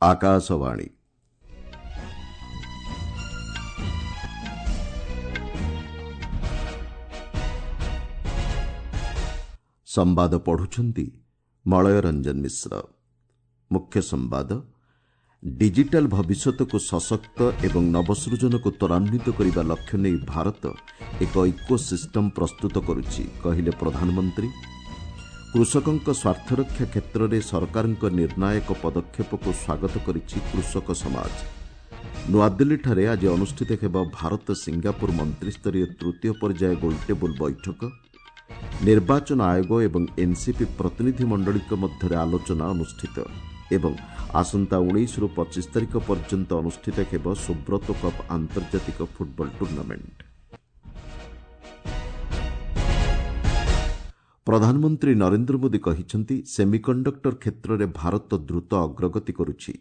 ଆକାଶବାଣୀ। ସମ୍ବାଦ ପଢୁଛନ୍ତି ମଳୟ ରଞ୍ଜନ ମିଶ୍ର। ମୁଖ୍ୟ ସମ୍ବାଦ, ଡିଜିଟାଲ ଭବିଷ୍ୟତକୁ ସଶକ୍ତ ଏବଂ ନବସୃଜନକୁ ତ୍ୱରାନ୍ୱିତ କରିବା ଲକ୍ଷ୍ୟ ନେଇ ଭାରତ ଏକ ଇକୋ ସିଷ୍ଟମ ପ୍ରସ୍ତୁତ କରୁଛି, କହିଲେ ପ୍ରଧାନମନ୍ତ୍ରୀ। କୃଷକଙ୍କ ସ୍ୱାର୍ଥରକ୍ଷା କ୍ଷେତ୍ରରେ ସରକାରଙ୍କ ନିର୍ଣ୍ଣାୟକ ପଦକ୍ଷେପକୁ ସ୍ୱାଗତ କରିଛି କୃଷକ ସମାଜ। ନୂଆଦିଲ୍ଲୀଠାରେ ଆଜି ଅନୁଷ୍ଠିତ ହେବ ଭାରତ ସିଙ୍ଗାପୁର ମନ୍ତ୍ରିସ୍ତରୀୟ ତୃତୀୟ ପର୍ଯ୍ୟାୟ ଗୋଲଟେବୁଲ ବୈଠକ। ନିର୍ବାଚନ ଆୟୋଗ ଏବଂ ଏନ୍ସିପି ପ୍ରତିନିଧିମଣ୍ଡଳୀଙ୍କ ମଧ୍ୟରେ ଆଲୋଚନା ଅନୁଷ୍ଠିତ ଏବଂ ଆସନ୍ତା 19ରୁ 25 ତାରିଖ ପର୍ଯ୍ୟନ୍ତ ଅନୁଷ୍ଠିତ ହେବ ସୁବ୍ରତୋ କପ୍ ଆନ୍ତର୍ଜାତିକ ଫୁଟବଲ ଟୁର୍ଣ୍ଣାମେଣ୍ଟ। ପ୍ରଧାନମନ୍ତ୍ରୀ ନରେନ୍ଦ୍ର ମୋଦି କହିଛନ୍ତି, ସେମିକଣ୍ଡକ୍ଟର କ୍ଷେତ୍ରରେ ଭାରତ ଦ୍ରୁତ ଅଗ୍ରଗତି କରୁଛି।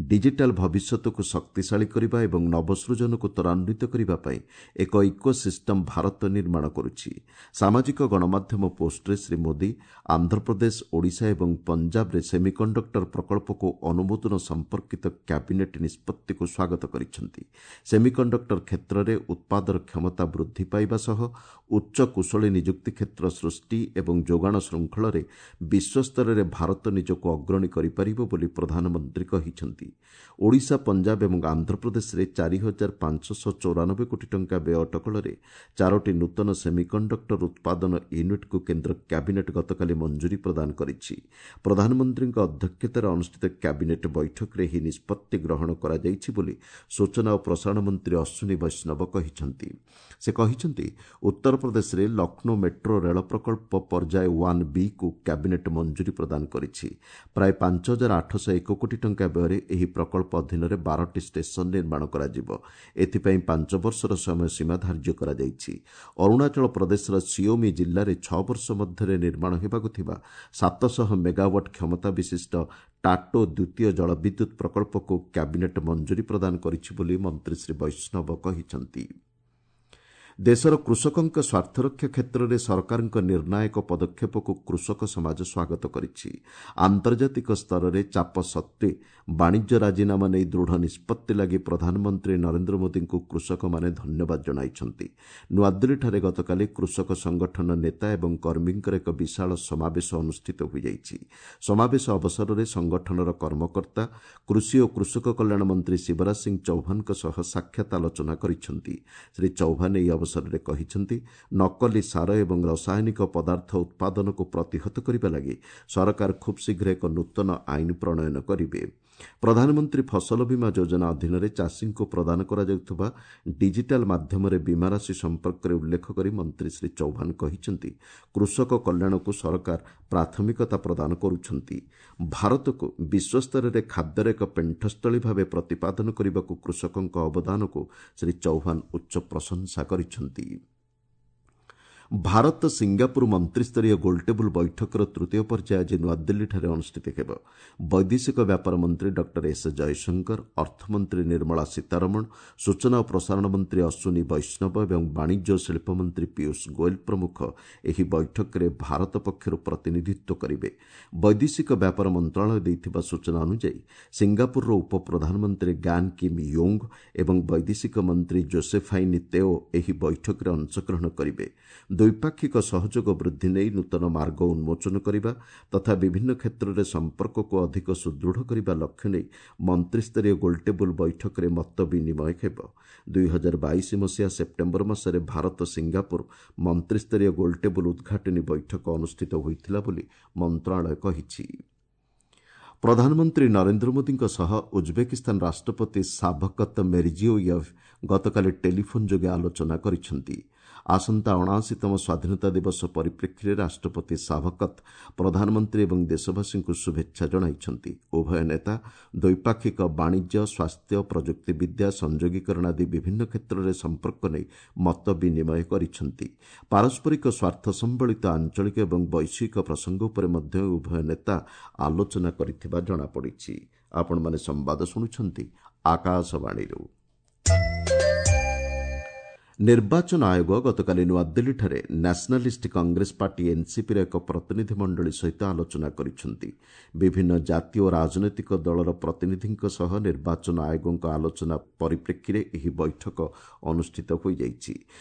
ଡିଜିଟାଲ ଭବିଷ୍ୟତକୁ ଶକ୍ତିଶାଳୀ କରିବା ଏବଂ ନବସୃଜନକୁ ତ୍ୱରାନ୍ୱିତ କରିବା ପାଇଁ ଏକ ଇକୋ ସିଷ୍ଟମ ଭାରତ ନିର୍ମାଣ କରୁଛି। ସାମାଜିକ ଗଣମାଧ୍ୟମ ପୋଷ୍ଟରେ ଶ୍ରୀ ମୋଦି ଆନ୍ଧ୍ରପ୍ରଦେଶ, ଓଡ଼ିଶା ଏବଂ ପଞ୍ଜାବରେ ସେମିକଣ୍ଡକ୍ଟର ପ୍ରକଳ୍ପକୁ ଅନୁମୋଦନ ସମ୍ପର୍କିତ କ୍ୟାବିନେଟ୍ ନିଷ୍ପତ୍ତିକୁ ସ୍ୱାଗତ କରିଛନ୍ତି। ସେମିକଣ୍ଡକ୍ଟର କ୍ଷେତ୍ରରେ ଉତ୍ପାଦର କ୍ଷମତା ବୃଦ୍ଧି ପାଇବା ସହ ଉଚ୍ଚ କୁଶଳୀ ନିଯୁକ୍ତି କ୍ଷେତ୍ର ସୃଷ୍ଟି ଏବଂ ଯୋଗାଣ ଶୃଙ୍ଖଳରେ ବିଶ୍ୱସ୍ତରରେ ଭାରତ ନିଜକୁ ଅଗ୍ରଣୀ କରିପାରିବ ବୋଲି ପ୍ରଧାନମନ୍ତ୍ରୀ କହିଛନ୍ତି। ଓଡ଼ିଶା, ପଞ୍ଜାବ ଏବଂ ଆନ୍ଧ୍ରପ୍ରଦେଶରେ 4594 କୋଟି ଟଙ୍କା ବ୍ୟୟ ଅଟକଳରେ ଚାରୋଟି ନୂତନ ସେମିକଣ୍ଡକ୍ଟର ଉତ୍ପାଦନ ୟୁନିଟ୍କୁ କେନ୍ଦ୍ର କ୍ୟାବିନେଟ୍ ଗତକାଲି ମଞ୍ଜୁରୀ ପ୍ରଦାନ କରିଛି। ପ୍ରଧାନମନ୍ତ୍ରୀଙ୍କ ଅଧ୍ୟକ୍ଷତାରେ ଅନୁଷ୍ଠିତ କ୍ୟାବିନେଟ୍ ବୈଠକରେ ଏହି ନିଷ୍ପତ୍ତି ଗ୍ରହଣ କରାଯାଇଛି ବୋଲି ସୂଚନା ଓ ପ୍ରସାରଣ ମନ୍ତ୍ରୀ ଅଶ୍ୱିନୀ ବୈଷ୍ଣବ କହିଛନ୍ତି। ସେ କହିଛନ୍ତି, ଉତ୍ତରପ୍ରଦେଶରେ ଲକ୍ଷ୍ନୌ ମେଟ୍ରୋ ରେଳ ପ୍ରକଳ୍ପ ପର୍ଯ୍ୟାୟ 1 ବିକୁ କ୍ୟାବିନେଟ୍ ମଞ୍ଜୁରୀ ପ୍ରଦାନ କରିଛି। ପ୍ରାୟ 5801 କୋଟି ଟଙ୍କା ବ୍ୟୟରେ ଏହି ପ୍ରକଳ୍ପ ଅଧୀନରେ 12ଟି ଷ୍ଟେସନ ନିର୍ମାଣ କରାଯିବ। ଏଥିପାଇଁ 5 ବର୍ଷର ସମୟସୀମା ଧାର୍ଯ୍ୟ କରାଯାଇଛି। ଅରୁଣାଚଳ ପ୍ରଦେଶର ସିଓମି ଜିଲ୍ଲାରେ 6 ବର୍ଷ ମଧ୍ୟରେ ନିର୍ମାଣ ହେବାକୁ ଥିବା 700 ମେଗାୱାଟ୍ କ୍ଷମତା ବିଶିଷ୍ଟ ଟାଟୋ ଦ୍ୱିତୀୟ ଜଳବିଦ୍ୟୁତ୍ ପ୍ରକଳ୍ପକୁ କ୍ୟାବିନେଟ୍ ମଞ୍ଜୁରୀ ପ୍ରଦାନ କରିଛି ବୋଲି ମନ୍ତ୍ରୀ ଶ୍ରୀ ବୈଷ୍ଣବ କହିଛନ୍ତି। ଦେଶର କୃଷକଙ୍କ ସ୍ୱାର୍ଥରକ୍ଷା କ୍ଷେତ୍ରରେ ସରକାରଙ୍କ ନିର୍ଣ୍ଣାୟକ ପଦକ୍ଷେପକୁ କୃଷକ ସମାଜ ସ୍ୱାଗତ କରିଛି। ଆନ୍ତର୍ଜାତିକ ସ୍ତରରେ ଚାପ ସତ୍ତ୍ୱେ ବାଣିଜ୍ୟ ରାଜିନାମା ନେଇ ଦୃଢ଼ ନିଷ୍ପତ୍ତି ଲାଗି ପ୍ରଧାନମନ୍ତ୍ରୀ ନରେନ୍ଦ୍ର ମୋଦିଙ୍କୁ କୃଷକମାନେ ଧନ୍ୟବାଦ ଜଣାଇଛନ୍ତି। ନୂଆଦିଲ୍ଲୀଠାରେ ଗତକାଲି କୃଷକ ସଂଗଠନ ନେତା ଏବଂ କର୍ମୀଙ୍କର ଏକ ବିଶାଳ ସମାବେଶ ଅନୁଷ୍ଠିତ ହୋଇଯାଇଛି। ସମାବେଶ ଅବସରରେ ସଂଗଠନର କର୍ମକର୍ତ୍ତା କୃଷି ଓ କୃଷକ କଲ୍ୟାଣ ମନ୍ତ୍ରୀ ଶିବରାଜ ସିଂ ଚୌହାନଙ୍କ ସହ ସାକ୍ଷାତ ଆଲୋଚନା କରିଛନ୍ତି। ଶ୍ରୀ ଚୌହାନ ଏହି ଅବସରରେ କହିଛନ୍ତି, ନକଲି ସାର ଏବଂ ରାସାୟନିକ ପଦାର୍ଥ ଉତ୍ପାଦନକୁ ପ୍ରତିହତ କରିବା ଲାଗି ସରକାର ଖୁବ୍ ଶୀଘ୍ର ଏକ ନୂତନ ଆଇନ ପ୍ରଣୟନ କରିବେ। ପ୍ରଧାନମନ୍ତ୍ରୀ ଫସଲ ବୀମା ଯୋଜନା ଅଧୀନରେ ଚାଷୀଙ୍କୁ ପ୍ରଦାନ କରାଯାଉଥିବା ଡିଜିଟାଲ ମାଧ୍ୟମରେ ବୀମା ରାଶି ସମ୍ପର୍କରେ ଉଲ୍ଲେଖ କରି ମନ୍ତ୍ରୀ ଶ୍ରୀ ଚୌହାନ କହିଛନ୍ତି, କୃଷକ କଲ୍ୟାଣକୁ ସରକାର ପ୍ରାଥମିକତା ପ୍ରଦାନ କରୁଛନ୍ତି। ଭାରତକୁ ବିଶ୍ୱସ୍ତରରେ ଖାଦ୍ୟର ଏକ ପେଣ୍ଠସ୍ଥଳୀ ଭାବେ ପ୍ରତିପାଦନ କରିବାକୁ କୃଷକଙ୍କ ଅବଦାନକୁ ଶ୍ରୀ ଚୌହାନ ଉଚ୍ଚ ପ୍ରଶଂସା କରିଛନ୍ତି। ଭାରତ ସିଙ୍ଗାପୁର ମନ୍ତ୍ରିସ୍ତରୀୟ ଗୋଲଟେବୁଲ ବୈଠକର ତୃତୀୟ ପର୍ଯ୍ୟାୟ ଆଜି ନୂଆଦିଲ୍ଲୀଠାରେ ଅନୁଷ୍ଠିତ ହେବ। ବୈଦେଶିକ ବ୍ୟାପାର ମନ୍ତ୍ରୀ ଡକ୍ଟର ଏସ୍ ଜୟଶଙ୍କର, ଅର୍ଥମନ୍ତ୍ରୀ ନିର୍ମଳା ସୀତାରମଣ, ସୂଚନା ଓ ପ୍ରସାରଣ ମନ୍ତ୍ରୀ ଅଶ୍ୱିନୀ ବୈଷ୍ଣବ ଏବଂ ବାଣିଜ୍ୟ ଓ ଶିଳ୍ପ ମନ୍ତ୍ରୀ ପୀୟୁଷ ଗୋଏଲ ପ୍ରମୁଖ ଏହି ବୈଠକରେ ଭାରତ ପକ୍ଷରୁ ପ୍ରତିନିଧିତ୍ୱ କରିବେ। ବୈଦେଶିକ ବ୍ୟାପାର ମନ୍ତ୍ରଣାଳୟ ଦେଇଥିବା ସୂଚନା ଅନୁଯାୟୀ, ସିଙ୍ଗାପୁରର ଉପପ୍ରଧାନମନ୍ତ୍ରୀ ଗାନ୍ କିମ୍ ୟୋଙ୍ଗ ଏବଂ ବୈଦେଶିକ ମନ୍ତ୍ରୀ ଜୋସେଫାଇନ୍ ତେଓ ଏହି ବୈଠକରେ ଅଂଶଗ୍ରହଣ କରିବେ। ଦ୍ୱିପାକ୍ଷିକ ସହଯୋଗ ବୃଦ୍ଧି ନେଇ ନୂତନ ମାର୍ଗ ଉନ୍ମୋଚନ କରିବା ତଥା ବିଭିନ୍ନ କ୍ଷେତ୍ରରେ ସମ୍ପର୍କକୁ ଅଧିକ ସୁଦୃଢ଼ କରିବା ଲକ୍ଷ୍ୟ ନେଇ ମନ୍ତ୍ରିସ୍ତରୀୟ ଗୋଲଟେବୁଲ ବୈଠକରେ ମତ ବିନିମୟ ହେବ। 2022 ମସିହା ସେପ୍ଟେମ୍ବର ମାସରେ ଭାରତ ସିଙ୍ଗାପୁର ମନ୍ତ୍ରିସ୍ତରୀୟ ଗୋଲଟେବୁଲ ଉଦ୍ଘାଟନୀ ବୈଠକ ଅନୁଷ୍ଠିତ ହୋଇଥିଲା ବୋଲି ମନ୍ତ୍ରଣାଳୟ କହିଛି। ପ୍ରଧାନମନ୍ତ୍ରୀ ନରେନ୍ଦ୍ର ମୋଦିଙ୍କ ସହ ଉଜ୍ବେକିସ୍ତାନ ରାଷ୍ଟ୍ରପତି ସାଭକତ ମିର୍ଜିୟୋୟେଭ୍ ଗତକାଲି ଟେଲିଫୋନ୍ ଯୋଗେ ଆଲୋଚନା କରିଛନ୍ତି। ଆସନ୍ତା 79ତମ ସ୍ୱାଧୀନତା ଦିବସ ପରିପ୍ରେକ୍ଷୀରେ ରାଷ୍ଟ୍ରପତି ସାଭକତ ପ୍ରଧାନମନ୍ତ୍ରୀ ଏବଂ ଦେଶବାସୀଙ୍କୁ ଶୁଭେଚ୍ଛା ଜଣାଇଛନ୍ତି। ଉଭୟ ନେତା ଦ୍ୱିପାକ୍ଷିକ ବାଣିଜ୍ୟ, ସ୍ୱାସ୍ଥ୍ୟ, ପ୍ରଯୁକ୍ତିବିଦ୍ୟା, ସଂଯୋଗୀକରଣ ଆଦି ବିଭିନ୍ନ କ୍ଷେତ୍ରରେ ସମ୍ପର୍କ ନେଇ ମତ ବିନିମୟ କରିଛନ୍ତି। ପାରସ୍ପରିକ ସ୍ୱାର୍ଥ ସମ୍ବଳିତ ଆଞ୍ଚଳିକ ଏବଂ ବୈଶ୍ୱିକ ପ୍ରସଙ୍ଗ ଉପରେ ମଧ୍ୟ ଉଭୟ ନେତା ଆଲୋଚନା କରିଥିବା ଜଣାପଡ଼ିଛି। ଆପଣମାନେ ସମ୍ବାଦ ଶୁଣୁଛନ୍ତି ଆକାଶବାଣୀରୁ। ନିର୍ବାଚନ ଆୟୋଗ ଗତକାଲି ନୂଆଦିଲ୍ଲୀଠାରେ ନ୍ୟାସନାଲିଷ୍ଟ କଂଗ୍ରେସ ପାର୍ଟି ଏନ୍ସିପିର ଏକ ପ୍ରତିନିଧି ମଣ୍ଡଳୀ ସହିତ ଆଲୋଚନା କରିଛନ୍ତି। ବିଭିନ୍ନ ଜାତି ଓ ରାଜନୈତିକ ଦଳର ପ୍ରତିନିଧିଙ୍କ ସହ ନିର୍ବାଚନ ଆୟୋଗଙ୍କ ଆଲୋଚନା ପରିପ୍ରେକ୍ଷୀରେ ଏହି ବୈଠକ ଅନୁଷ୍ଠିତ ହୋଇଯାଇଛି।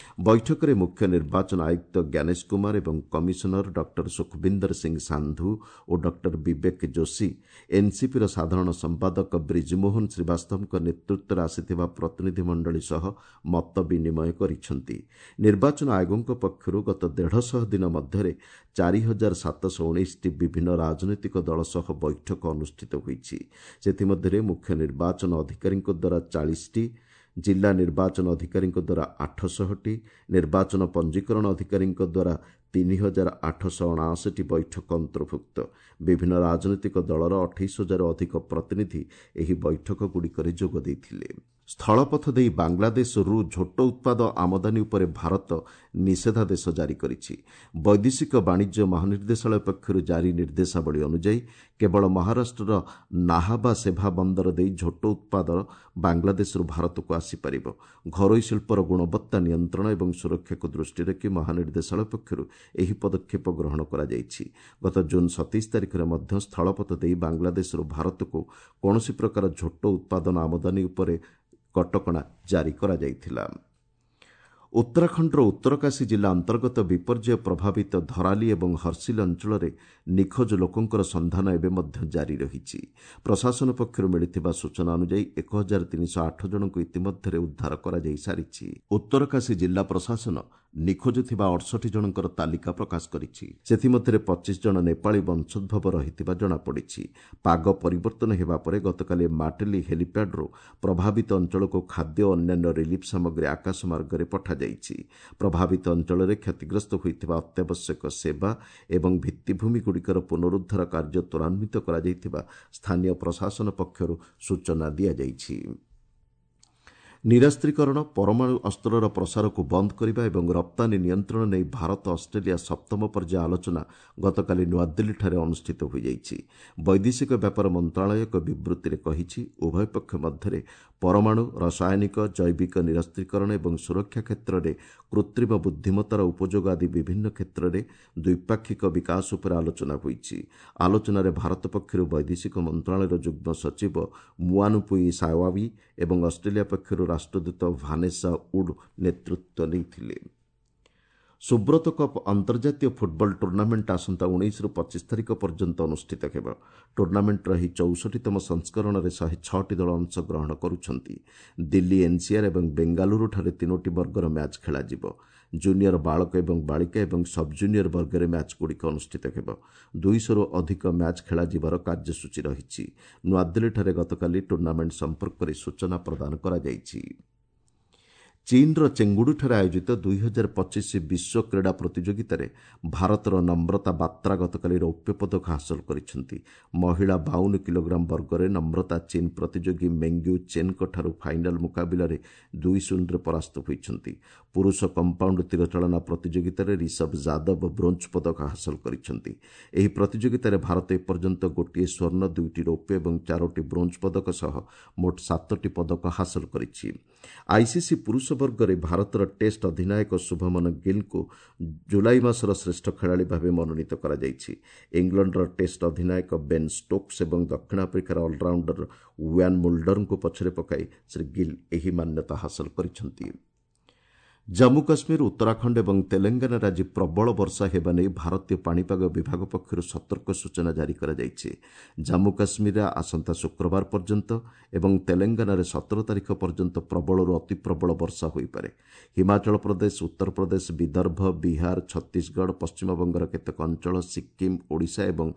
ବୈଠକରେ ମୁଖ୍ୟ ନିର୍ବାଚନ ଆୟୁକ୍ତ ଜ୍ଞାନେଶ କୁମାର ଏବଂ କମିଶନର ଡକ୍ଟର ସୁଖବିନ୍ଦର ସିଂ ସାନ୍ଧୁ ଓ ଡକ୍ଟର ବିବେକ ଯୋଶୀ ଏନ୍ସିପିର ସାଧାରଣ ସମ୍ପାଦକ ବ୍ରିଜମୋହନ ଶ୍ରୀବାସ୍ତବଙ୍କ ନେତୃତ୍ୱରେ ଆସିଥିବା ପ୍ରତିନିଧି ମଣ୍ଡଳୀ ସହ ମତ ବିନିମୟ କରିଛନ୍ତି। ନିର୍ବାଚନ ଆୟୋଗଙ୍କ ପକ୍ଷରୁ ଗତ 150 ଦିନ ମଧ୍ୟରେ 4719ଟି ବିଭିନ୍ନ ରାଜନୈତିକ ଦଳ ସହ ବୈଠକ ଅନୁଷ୍ଠିତ ହୋଇଛି। ସେଥିମଧ୍ୟରେ ମୁଖ୍ୟ ନିର୍ବାଚନ ଅଧିକାରୀଙ୍କ ଦ୍ୱାରା 40ଟି, ଜିଲ୍ଲା ନିର୍ବାଚନ ଅଧିକାରୀଙ୍କ ଦ୍ୱାରା 800ଟି, ନିର୍ବାଚନ ପଞ୍ଜୀକରଣ ଅଧିକାରୀଙ୍କ ଦ୍ୱାରା 3879ଟି ବୈଠକ ଅନ୍ତର୍ଭୁକ୍ତ। ବିଭିନ୍ନ ରାଜନୈତିକ ଦଳର 28,000 ଅଧିକ ପ୍ରତିନିଧି ଏହି ବୈଠକଗୁଡ଼ିକରେ ଯୋଗ ଦେଇଥିଲେ। ସ୍ଥଳପଥ ଦେଇ ବାଂଲାଦେଶରୁ ଝୋଟ ଉତ୍ପାଦ ଆମଦାନୀ ଉପରେ ଭାରତ ନିଷେଧାଦେଶ ଜାରି କରିଛି। ବୈଦେଶିକ ବାଣିଜ୍ୟ ମହାନିର୍ଦ୍ଦେଶାଳୟ ପକ୍ଷରୁ ଜାରି ନିର୍ଦ୍ଦେଶାବଳୀ ଅନୁଯାୟୀ କେବଳ ମହାରାଷ୍ଟ୍ରର ନାହାବା ସେଭା ବନ୍ଦର ଦେଇ ଝୋଟ ଉତ୍ପାଦ ବାଂଲାଦେଶରୁ ଭାରତକୁ ଆସିପାରିବ। ଘରୋଇ ଶିଳ୍ପର ଗୁଣବତ୍ତା ନିୟନ୍ତ୍ରଣ ଏବଂ ସୁରକ୍ଷାକୁ ଦୃଷ୍ଟିରେ ରଖି ମହାନିର୍ଦ୍ଦେଶାଳୟ ପକ୍ଷରୁ ଏହି ପଦକ୍ଷେପ ଗ୍ରହଣ କରାଯାଇଛି। ଗତ ଜୁନ୍ 27 ତାରିଖରେ ମଧ୍ୟ ସ୍ଥଳପଥ ଦେଇ ବାଂଲାଦେଶରୁ ଭାରତକୁ କୌଣସି ପ୍ରକାର ଝୋଟ ଉତ୍ପାଦନ ଆମଦାନୀ ଉପରେ କଟକଣା ଜାରି କରାଯାଇଥିଲା। ଉତ୍ତରାଖଣ୍ଡର ଉତ୍ତରକାଶୀ ଜିଲ୍ଲା ଅନ୍ତର୍ଗତ ବିପର୍ଯ୍ୟୟ ପ୍ରଭାବିତ ଧରାଲି ଏବଂ ହର୍ସିଲ ଅଞ୍ଚଳରେ ନିଖୋଜ ଲୋକଙ୍କର ସନ୍ଧାନ ଏବେ ମଧ୍ୟ ଜାରି ରହିଛି। ପ୍ରଶାସନ ପକ୍ଷରୁ ମିଳିଥିବା ସୂଚନା ଅନୁଯାୟୀ 1308 ଜଣଙ୍କୁ ଇତିମଧ୍ୟରେ ଉଦ୍ଧାର କରାଯାଇ ସାରିଛି। ଉତ୍ତରକାଶୀ ଜିଲ୍ଲା ପ୍ରଶାସନ ନିଖୋଜ ଥିବା 68 ଜଣଙ୍କର ତାଲିକା ପ୍ରକାଶ କରିଛି। ସେଥିମଧ୍ୟରେ 25 ଜଣ ନେପାଳୀ ବଂଶୋଦ୍ଭବ ରହିଥିବା ଜଣାପଡ଼ିଛି। ପାଗ ପରିବର୍ତ୍ତନ ହେବା ପରେ ଗତକାଲି ମାଟେଲି ହେଲିପ୍ୟାଡ୍ରୁ ପ୍ରଭାବିତ ଅଞ୍ଚଳକୁ ଖାଦ୍ୟ ଓ ଅନ୍ୟାନ୍ୟ ରିଲିଫ୍ ସାମଗ୍ରୀ ଆକାଶ ମାର୍ଗରେ ପଠାଯାଇଛି। ପ୍ରଭାବିତ ଅଞ୍ଚଳରେ କ୍ଷତିଗ୍ରସ୍ତ ହୋଇଥିବା ଅତ୍ୟାବଶ୍ୟକ ସେବା ଏବଂ ଭିତ୍ତିଭୂମିଗୁଡ଼ିକର ପୁନରୁଦ୍ଧାର କାର୍ଯ୍ୟ ତ୍ୱରାନ୍ୱିତ କରାଯାଇଥିବା ସ୍ଥାନୀୟ ପ୍ରଶାସନ ପକ୍ଷରୁ ସୂଚନା ଦିଆଯାଇଛି। ନିରସ୍ତ୍ରୀକରଣ, ପରମାଣୁ ଅସ୍ତ୍ରର ପ୍ରସାରକୁ ବନ୍ଦ କରିବା ଏବଂ ରପ୍ତାନୀ ନିୟନ୍ତ୍ରଣ ନେଇ ଭାରତ ଅଷ୍ଟ୍ରେଲିଆ ସପ୍ତମ ପର୍ଯ୍ୟାୟ ଆଲୋଚନା ଗତକାଲି ନୂଆଦିଲ୍ଲୀଠାରେ ଅନୁଷ୍ଠିତ ହୋଇଯାଇଛି। ବୈଦେଶିକ ବ୍ୟାପାର ମନ୍ତ୍ରଣାଳୟ ଏକ ବିବୃତ୍ତିରେ କହିଛି, ଉଭୟ ପକ୍ଷ ମଧ୍ୟରେ ପରମାଣୁ, ରାସାୟନିକ, ଜୈବିକ ନିରସ୍ତ୍ରୀକରଣ ଏବଂ ସୁରକ୍ଷା କ୍ଷେତ୍ରରେ କୃତ୍ରିମ ବୁଦ୍ଧିମତ୍ତାର ଉପଯୋଗ ଆଦି ବିଭିନ୍ନ କ୍ଷେତ୍ରରେ ଦ୍ୱିପାକ୍ଷିକ ବିକାଶ ଉପରେ ଆଲୋଚନା ହୋଇଛି। ଆଲୋଚନାରେ ଭାରତ ପକ୍ଷରୁ ବୈଦେଶିକ ମନ୍ତ୍ରଣାଳୟର ଯୁଗ୍ମ ସଚିବ ମୁଆନୁପୁଇ ସାୱାବି ଏବଂ ଅଷ୍ଟ୍ରେଲିଆ ପକ୍ଷରୁ ରାଷ୍ଟ୍ରଦୂତ ଭାନେସା ଉଡ୍ ନେତୃତ୍ୱ ନେଇଥିଲେ। ସୁବ୍ରତ କପ୍ ଅନ୍ତର୍ଜାତୀୟ ଫୁଟବଲ ଟୁର୍ଣ୍ଣାମେଣ୍ଟ ଆସନ୍ତା 19ରୁ 25 ତାରିଖ ପର୍ଯ୍ୟନ୍ତ ଅନୁଷ୍ଠିତ ହେବ। ଟୁର୍ଣ୍ଣାମେଣ୍ଟର ଏହି 64ତମ ସଂସ୍କରଣରେ 106ଟି ଦଳ ଅଂଶଗ୍ରହଣ କରୁଛନ୍ତି। ଦିଲ୍ଲୀ ଏନ୍ସିଆର୍ ଏବଂ ବେଙ୍ଗାଲୁରୁଠାରେ 3ଟି ବର୍ଗର ମ୍ୟାଚ୍ ଖେଳାଯିବ। ଜୁନିୟର ବାଳକ ଏବଂ ବାଳିକା ଏବଂ ସବ୍ ଜୁନିୟର ବର୍ଗରେ ମ୍ୟାଚ୍ଗୁଡ଼ିକ ଅନୁଷ୍ଠିତ ହେବ। 200ରୁ ଅଧିକ ମ୍ୟାଚ୍ ଖେଳାଯିବାର କାର୍ଯ୍ୟସୂଚୀ ରହିଛି। ନୂଆଦିଲ୍ଲୀଠାରେ ଗତକାଲି ଟୁର୍ଣ୍ଣାମେଣ୍ଟ ସମ୍ପର୍କରେ ସୂଚନା ପ୍ରଦାନ କରାଯାଇଛି। ଚୀନ୍ର ଚେଙ୍ଗୁଡୁଠାରେ ଆୟୋଜିତ 2025 ବିଶ୍ୱ କ୍ରୀଡ଼ା ପ୍ରତିଯୋଗିତାରେ ଭାରତର ନମ୍ରତା ବାତ୍ରା ଗତକାଲି ରୌପ୍ୟ ପଦକ ହାସଲ କରିଛନ୍ତି। ମହିଳା 52 କିଲୋଗ୍ରାମ ବର୍ଗରେ ନମ୍ରତା ଚୀନ୍ ପ୍ରତିଯୋଗୀ ମେଙ୍ଗ୍ୟୁ ଚେନ୍ଙ୍କଠାରୁ ଫାଇନାଲ ମୁକାବିଲାରେ 2-0ରେ ପରାସ୍ତ ହୋଇଛନ୍ତି। ପୁରୁଷ କମ୍ପାଉଣ୍ଡ ତୀରଚାଳନା ପ୍ରତିଯୋଗିତାରେ ରିଷଭ ଯାଦବ ବ୍ରୋଞ୍ଜ ପଦକ ହାସଲ କରିଛନ୍ତି। ଏହି ପ୍ରତିଯୋଗିତାରେ ଭାରତ ଏପର୍ଯ୍ୟନ୍ତ 1 ସ୍ୱର୍ଣ୍ଣ, 2ଟି ରୌପ୍ୟ ଏବଂ 4ଟି ବ୍ରୋଞ୍ଜ ପଦକ ସହ ମୋଟ 7ଟି ପଦକ ହାସଲ କରିଛି। ଆଇସିସି ପୁରୁଷ ବର୍ଗରେ ଭାରତର ଟେଷ୍ଟ ଅଧିନାୟକ ଶୁଭମନ ଗିଲ୍ଙ୍କୁ ଜୁଲାଇ ମାସର ଶ୍ରେଷ୍ଠ ଖେଳାଳି ଭାବେ ମନୋନୀତ କରାଯାଇଛି। ଇଂଲଣ୍ଡର ଟେଷ୍ଟ ଅଧିନାୟକ ବେନ୍ ଷ୍ଟୋକ୍ସ ଏବଂ ଦକ୍ଷିଣ ଆଫ୍ରିକାର ଅଲରାଉଣ୍ଡର ୱାନ୍ ମୁଲ୍ଡରଙ୍କୁ ପଛରେ ପକାଇ ଶ୍ରୀ ଗିଲ୍ ଏହି ମାନ୍ୟତା ହାସଲ କରିଛନ୍ତି। ଜାମ୍ମୁ କାଶ୍ମୀର, ଉତ୍ତରାଖଣ୍ଡ ଏବଂ ତେଲେଙ୍ଗାନାରେ ଆଜି ପ୍ରବଳ ବର୍ଷା ହେବା ନେଇ ଭାରତୀୟ ପାଣିପାଗ ବିଭାଗ ପକ୍ଷରୁ ସତର୍କ ସୂଚନା ଜାରି କରାଯାଇଛି। ଜାମ୍ମୁ କାଶ୍ମୀରରେ ଆସନ୍ତା ଶୁକ୍ରବାର ପର୍ଯ୍ୟନ୍ତ ଏବଂ ତେଲେଙ୍ଗାନାରେ 17 ତାରିଖ ପର୍ଯ୍ୟନ୍ତ ପ୍ରବଳରୁ ଅତି ପ୍ରବଳ ବର୍ଷା ହୋଇପାରେ। ହିମାଚଳ ପ୍ରଦେଶ, ଉତ୍ତରପ୍ରଦେଶ, ବିଦର୍ଭ, ବିହାର, ଛତିଶଗଡ଼, ପଶ୍ଚିମବଙ୍ଗର କେତେକ ଅଞ୍ଚଳ, ସିକ୍କିମ୍, ଓଡ଼ିଶା ଏବଂ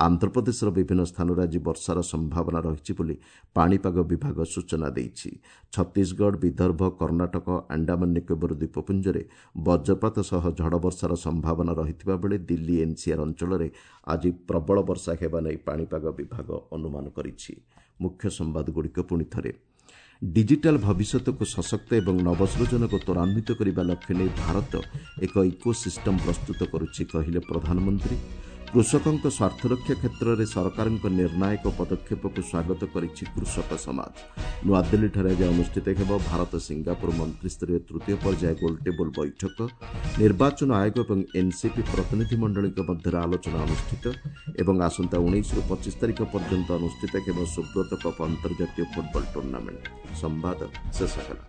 ଆନ୍ଧ୍ରପ୍ରଦେଶର ବିଭିନ୍ନ ସ୍ଥାନରେ ଆଜି ବର୍ଷାର ସମ୍ଭାବନା ରହିଛି ବୋଲି ପାଣିପାଗ ବିଭାଗ ସୂଚନା ଦେଇଛି। ଛତିଶଗଡ଼, ବିଦର୍ଭ, କର୍ଣ୍ଣାଟକ, ଆଣ୍ଡାମାନ ନିକୋବର ଦ୍ୱୀପପୁଞ୍ଜରେ ବଜ୍ରପାତ ସହ ଝଡ଼ ବର୍ଷାର ସମ୍ଭାବନା ରହିଥିବା ବେଳେ ଦିଲ୍ଲୀ ଏନ୍ସିଆର୍ ଅଞ୍ଚଳରେ ଆଜି ପ୍ରବଳ ବର୍ଷା ହେବା ନେଇ ପାଣିପାଗ ବିଭାଗ ଅନୁମାନ କରିଛି। ମୁଖ୍ୟ ସମ୍ବାଦଗୁଡ଼ିକ ପୁଣି ଥରେ। ଡିଜିଟାଲ ଭବିଷ୍ୟତକୁ ସଶକ୍ତ ଏବଂ ନବସୃଜନକୁ ତ୍ୱରାନ୍ୱିତ କରିବା ଲକ୍ଷ୍ୟ ନେଇ ଭାରତ ଏକ ଇକୋସିଷ୍ଟମ ପ୍ରସ୍ତୁତ କରୁଛି, କହିଲେ ପ୍ରଧାନମନ୍ତ୍ରୀ। କୃଷକଙ୍କ ସ୍ୱାର୍ଥରକ୍ଷା କ୍ଷେତ୍ରରେ ସରକାରଙ୍କ ନିର୍ଣ୍ଣାୟକ ପଦକ୍ଷେପକୁ ସ୍ୱାଗତ କରିଛି କୃଷକ ସମାଜ। ନୂଆଦିଲ୍ଲୀଠାରେ ଆଜି ଅନୁଷ୍ଠିତ ହେବ ଭାରତ ସିଙ୍ଗାପୁର ମନ୍ତ୍ରିସ୍ତରୀୟ ତୃତୀୟ ପର୍ଯ୍ୟାୟ ଗୋଲଟେବୁଲ ବୈଠକ। ନିର୍ବାଚନ ଆୟୋଗ ଏବଂ ଏନ୍ସିପି ପ୍ରତିନିଧିମଣ୍ଡଳୀଙ୍କ ମଧ୍ୟରେ ଆଲୋଚନା ଅନୁଷ୍ଠିତ ଏବଂ ଆସନ୍ତା 19ରୁ 25 ତାରିଖ ପର୍ଯ୍ୟନ୍ତ ଅନୁଷ୍ଠିତ ହେବ ସୁବ୍ରତ କପ୍ ଅନ୍ତର୍ଜାତୀୟ ଫୁଟବଲ ଟୁର୍ଣ୍ଣାମେଣ୍ଟ। ସମ୍ବାଦ ଶେଷ ହେଲା।